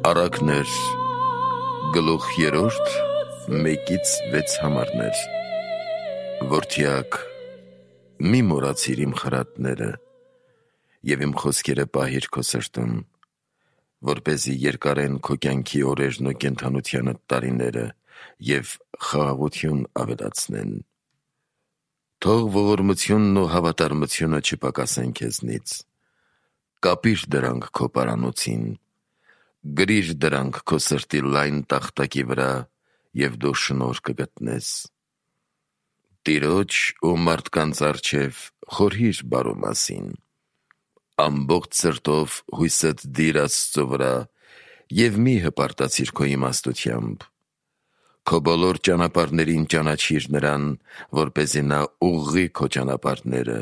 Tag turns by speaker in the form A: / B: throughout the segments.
A: Առակներ, գլուխ 3, 1-6 համարներ։ Որդյակ, մի մոռացիր իմ խրատները և իմ խոսքերը պահիր քո սրտում, որպեսզի երկարեն քո կյանքի օրերն ու կենդանությանդ տարիները և խաղաղություն ավելացնեն։ Թող ողորմությունն ու հավատարմությունը չպակասեն քեզնից։ Կապիր դրանք քո պարանոցին, գրիր դրանք քո սրտի լայն տախտակի վրա և դու շնորհ կգտնես։ Տիրոջ ու մարդկանց առջև խորհիր բարու մասին, ամբողջ սրտով հույսդ դիր Աստծո վրա և մի հպարտացիր քո իմաստությամբ։ Քո բոլոր ճանապարհներին ճանաչիր նրան, որպեսզի նա ուղղի քո ճանապարհները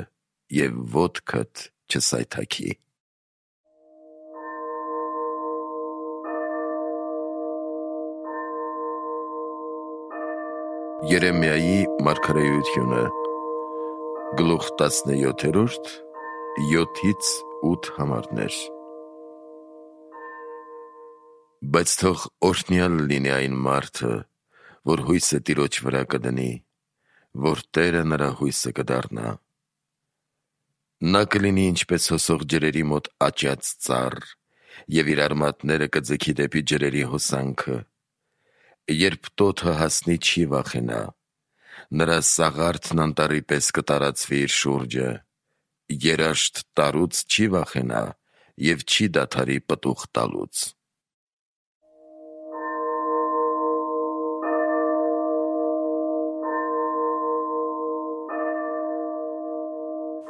A: և ոտքդ չսայթաքի։ Երեմիայի մարգարեությունը, գլուխ 17, 7-8 համարներ։ Բայց թող օրհնյալ լինի այն մարդը, որ հույսը Տիրոջ վրա կդնի, որ Տերը նրա հույսը կդառնա։ Նա կլինի ինչպես հոսող ջրերի մոտ աճած ծառ և իր արմատները կձգի դեպի ջրերի հոսանքը։ Երբ տոթը հասնի, չի վախենա, նրա սաղարթն անտառի պես կտարածվի իր շուրջը, երաշտ տարուց չի վախենա և չի դադարի պտուղ տալուց։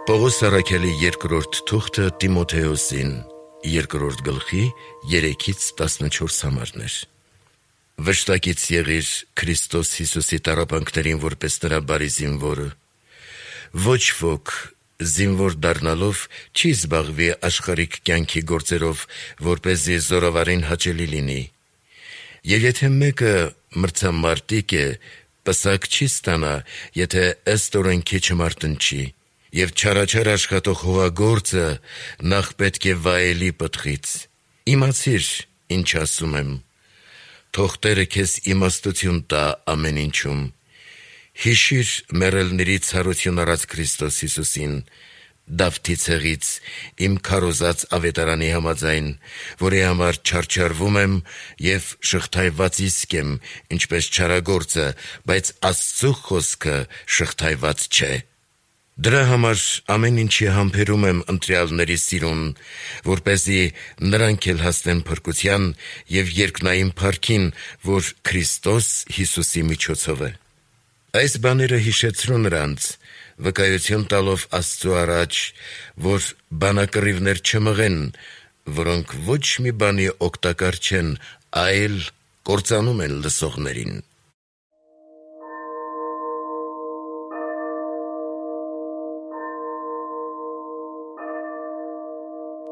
A: Պողոս առաքյալի երկրորդ թուղթը Տիմոթեոսին, 2 գլխի 3-14 համարներ։ Վշտակից եղիր Քրիստոս Հիսուսի տառապանքներին որպես նրա բարի զինվորը։ Ոչ ոք զինվոր դառնալով չի զբաղվի աշխարհիկ կյանքի գործերով, որպեսզի զորավարին հաճելի լինի։ Եվ եթե մեկը մրցամարտիկ է, պսակ չի ստանա, եթե ըստ օրենքի չմարտնչի։ Եվ չարաչար աշխատող հողագործը նախ պետք է վայելի պտղից։ Իմացիր, ինչ ասում եմ։ Թող Տերը քեզ իմաստություն տա ամեն ինչում։ Հիշիր մեռելների ցարություն առած Քրիստոս Հիսուսին, Դավթի ցեղից, իմ քարոզած ավետարանի համաձայն, որի համար չարչարվում եմ և շղթայված իսկ եմ, ինչպես չարագործը, բայց Աստծու խոսքը շղթայված չէ։ Դրա համար ամեն ինչի համբերում եմ ընտրյալների սիրուն, որպեսզի նրանք էլ հասնեն փրկության և երկնային փառքին, որ Քրիստոս Հիսուսի միջոցով է։ Այս բաները հիշեցրու նրանց, վկայություն տալով Աստծու առաջ, որ բանակռիվներ չմղեն, որոնք ոչ մի բանի օգտակար չեն, այլ կործանում են լսողներին։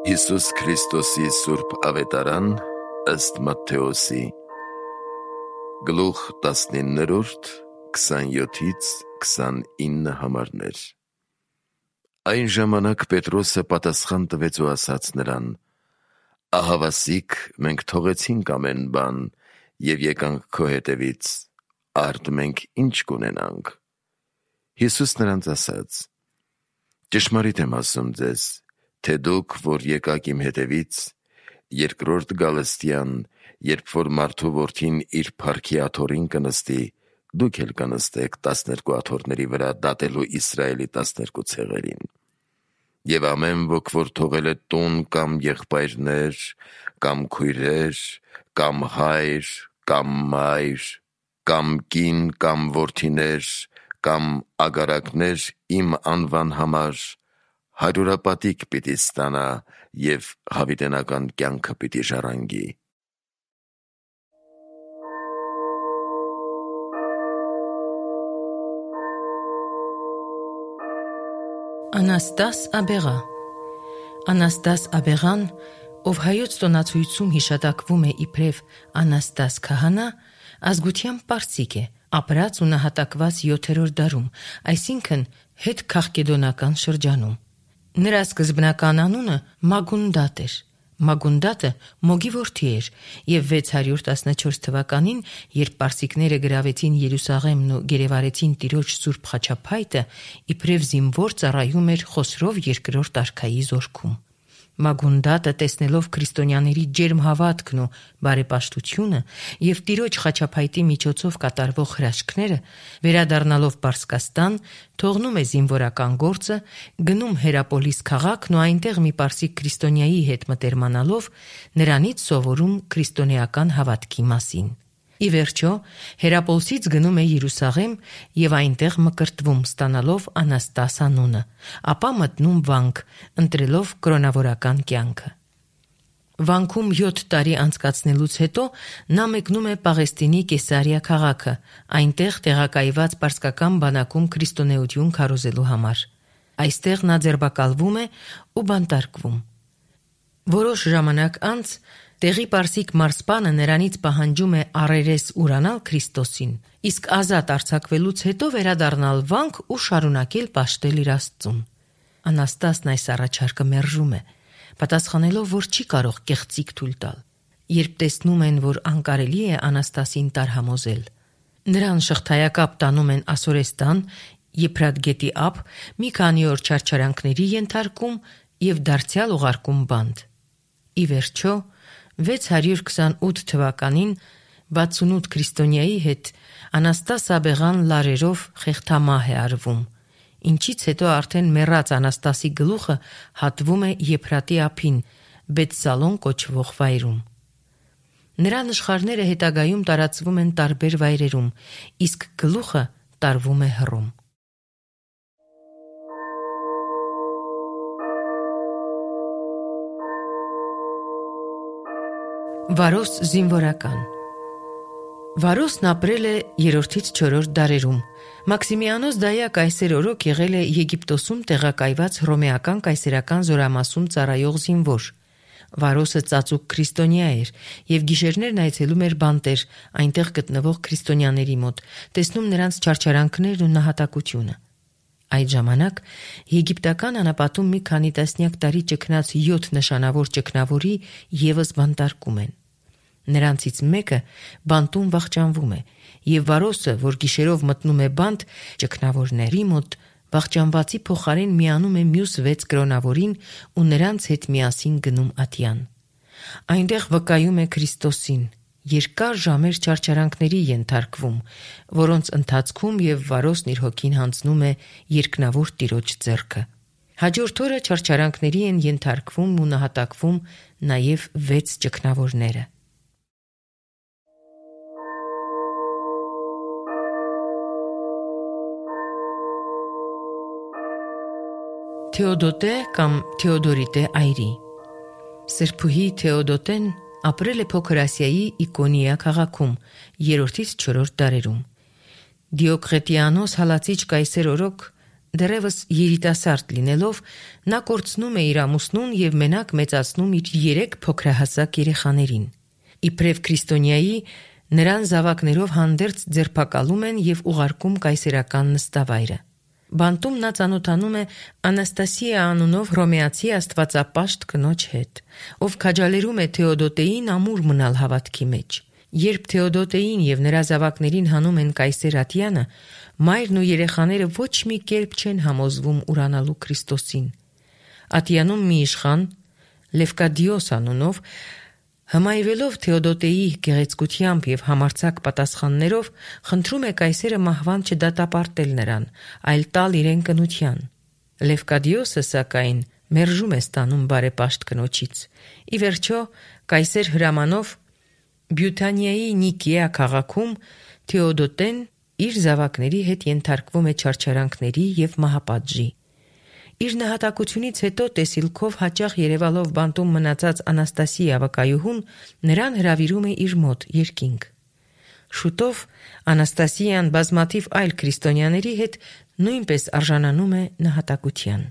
A: Հիսուս Քրիստոսի սուրբ ավետարան ըստ Մատթեոսի, գլուխ 19, 27-29 համարներ։ Այն ժամանակ Պետրոսը պատասխան տվեց ու ասաց նրան. «Ահավասիկ, մենք թողեցինք ամեն բան և եկանք քո հետևից, արդ մենք ինչ կունենանք»։ Հիսուս նրանց ասաց. «Ճշմարիտ եմ ասում ձեզ, թե դուք, որ եկաք իմ հետևից, երկրորդ գալստյան, երբ որ մարդու որդին իր փառքի աթոռին կնստի, դուք էլ կնստեք 12 աթոռների վրա դատելու Իսրայելի 12 ցեղերին։ Եվ ամեն ոք, որ թողել է տուն կամ եղբայրներ, կամ քույրեր, կամ հայր, կամ մայր, կամ կին, կամ որդիներ, կամ ագարակներ իմ անվան համար, հարյուրապատիկ պիտի ստանա և հավիտենական կյանքը պիտի ժառանգի»։
B: Անաստաս Աբեղա Անաստաս Աբեղան, ով հայոց տոնացույցում հիշատակվում է իբրև Անաստաս քահանա, ազգությամբ պարսիկ է, ապրած ու նահատակված 7-րդ դարում, այսինքն հետ քաղկեդոնական շրջանում։ Նրա սկզբնական անունը Մագունդատ էր, Մագունդատը Մոգի որդի էր, եւ 614 թվականին, երբ պարսիկները գրավեցին Երուսաղեմն ու գերեվարեցին Տիրոջ Սուրբ խաչափայտը, իբրև զինվոր ծառայում էր Խոսրով երկրորդ արքայի զորքում։ Մագունդատը, տեսնելով քրիստոնյաների ջերմ հավատքն ու բարեպաշտությունը եւ Տիրոջ խաչափայտի միջոցով կատարվող հրաշքները, վերադառնալով Պարսկաստան, թողնում է զինվորական գործը, գնում Հերապոլիս քաղաքն ու այնտեղ մի պարսիկ քրիստոնյայի հետ մտերմանալով նրանից սովորում քրիստոնեական հավատքի մասին։ Ի վերջո, Հերապոլսից գնում է Երուսաղեմ եւ այնտեղ մկրտվում, ստանալով Անաստաս անունը, ապա մտնում վանք, ընտրելով կրոնավորական կյանքը։ Վանքում 7 տարի անցկացնելուց հետո նա մեկնում է Պաղեստինի Կեսարիա քաղաքը, այնտեղ տեղակայված պարսկական բանակում քրիստոնեություն քարոզելու համար։ Այստեղ նա ձերբակալվում է ու բանտարկվում։ Որոշ ժամանակ անց տեղի պարսիկ մարսպանը նրանից պահանջում է առերես ուրանալ Քրիստոսին, իսկ ազատ արձակվելուց հետո վերադառնալ վանք ու շարունակել պաշտել իր Աստծուն։ Անաստասն այս առաջարկը մերժում է, պատասխանելով, որ չի կարող կեղծիք թույլ տալ։ Երբ տեսնում են, որ անկարելի է Անաստասին տարհամոզել, նրան շղթայակապ տանում են Ասորեստան, Եփրատ գետի ափ, մի քանի օր չարչարանքների ենթարկում եւ դարձյալ ուղարկում բանտ։ Ի վերջո 628 թվականին 68 քրիստոնյայի հետ Անաստաս Աբեղան լարերով խեղդամահ է արվում, ինչից հետո արդեն մեռած Անաստասի գլուխը հատվում է Եփրատի ափին, Բեթսալոն կոչվող վայրում։ Նրա նշխարները հետագայում տարածվում են տարբեր վայրերում, իսկ գլուխը տարվում է Հռոմ։ Վարոս զինվորական։ Վարոսն ապրել է 3-ից 4 դարերում։ Մաքսիմիանոս Դայա կայսեր օրոք եղել է Եգիպտոսում տեղակայված հռոմեական կայսերական զորամասում ծառայող զինվոր։ Վարոսը ծածուկ քրիստոնյա էր եւ գիշերներն այցելում էր բանտեր, այնտեղ գտնվող քրիստոնյաների մոտ, տեսնում նրանց չարչարանքներն ու նահատակությունը։ Այդ ժամանակ եգիպտական անապատում մի քանի տասնյակ տարի ճգնած 7 նշանավոր ճգնավորի եւս բանտարկում են։ Նրանցից մեկը բանտում վախճանվում է, եւ Վարոսը, որ գիշերով մտնում է բանտ, ճգնավորների մոտ վախճանվածի փոխարեն միանում է մյուս 6 կրոնավորին ու նրանց հետ միասին գնում ատյան։ Այնտեղ վկայում է Քրիստոսին, երկար ժամեր չարչարանքների ենթարկվում, որոնց ընթացքում եւ Վարոսն իր հոգին հանձնում է երկնավոր Տիրոջ ձեռքը։ Հաջորդ օրը չարչարանքների են ենթարկվում ու նահատակվում նաեւ 6 ճգնավորները։ Թեոդոտե կամ Թեոդորիտե այրի։ Սրբուհի Թեոդոտեն ապրել է Փոքր Ասիայի Իկոնիա քաղաքում 3-ից 4 դարերում։ Դիոկլետիանոս հալածիչ կայսեր օրոք դեռևս երիտասարդ լինելով նա կորցնում է իր ամուսնուն եւ մենակ մեծացնում իր 3 փոքրահասակ երեխաներին։ Իբրև քրիստոնյայի նրան զավակներով հանդերձ ձերբակալում են եւ ուղարկում կայսերական նստավայրը։ Բանտում նա ծանոթանում է Անաստասիա անունով հռոմեացի աստվածապաշտ կնոջ հետ, ով քաջալերում է Թեոդոտեին ամուր մնալ հավատքի մեջ։ Երբ Թեոդոտեին եւ նրա զավակներին հանում են կայսեր ատյանը, մայրն ու երեխաները ոչ մի կերպ չեն համոզվում ուրանալու Քրիստոսին։ Ատյանում մի իշխան Լևկադիոս անունով հմայվելով Թեոդոտեի գեղեցկությամբ եւ համարձակ պատասխաններով խնդրում է կայսերը մահվան չդատապարտել նրան, այլ տալ իրեն կնության։ Լևկադիոսը սակայն մերժում է ստանում բարեպաշտ կնոջից։ Ի վերջո կայսեր հրամանով Բյուտանիայի Նիկիա քաղաքում Թեոդոտեն իր զավակների հետ ենթարկվում է չարչարանքների եւ մահապատժի։ Իր նահատակությունից հետո տեսիլքով հաճախ երևալով բանտում մնացած Անաստասիա վկայուհուն նրան հրավիրում է իր մոտ երկինք։ Շուտով Անաստասիան բազմաթիվ այլ քրիստոնյաների հետ նույնպես արժանանում է նահատակության։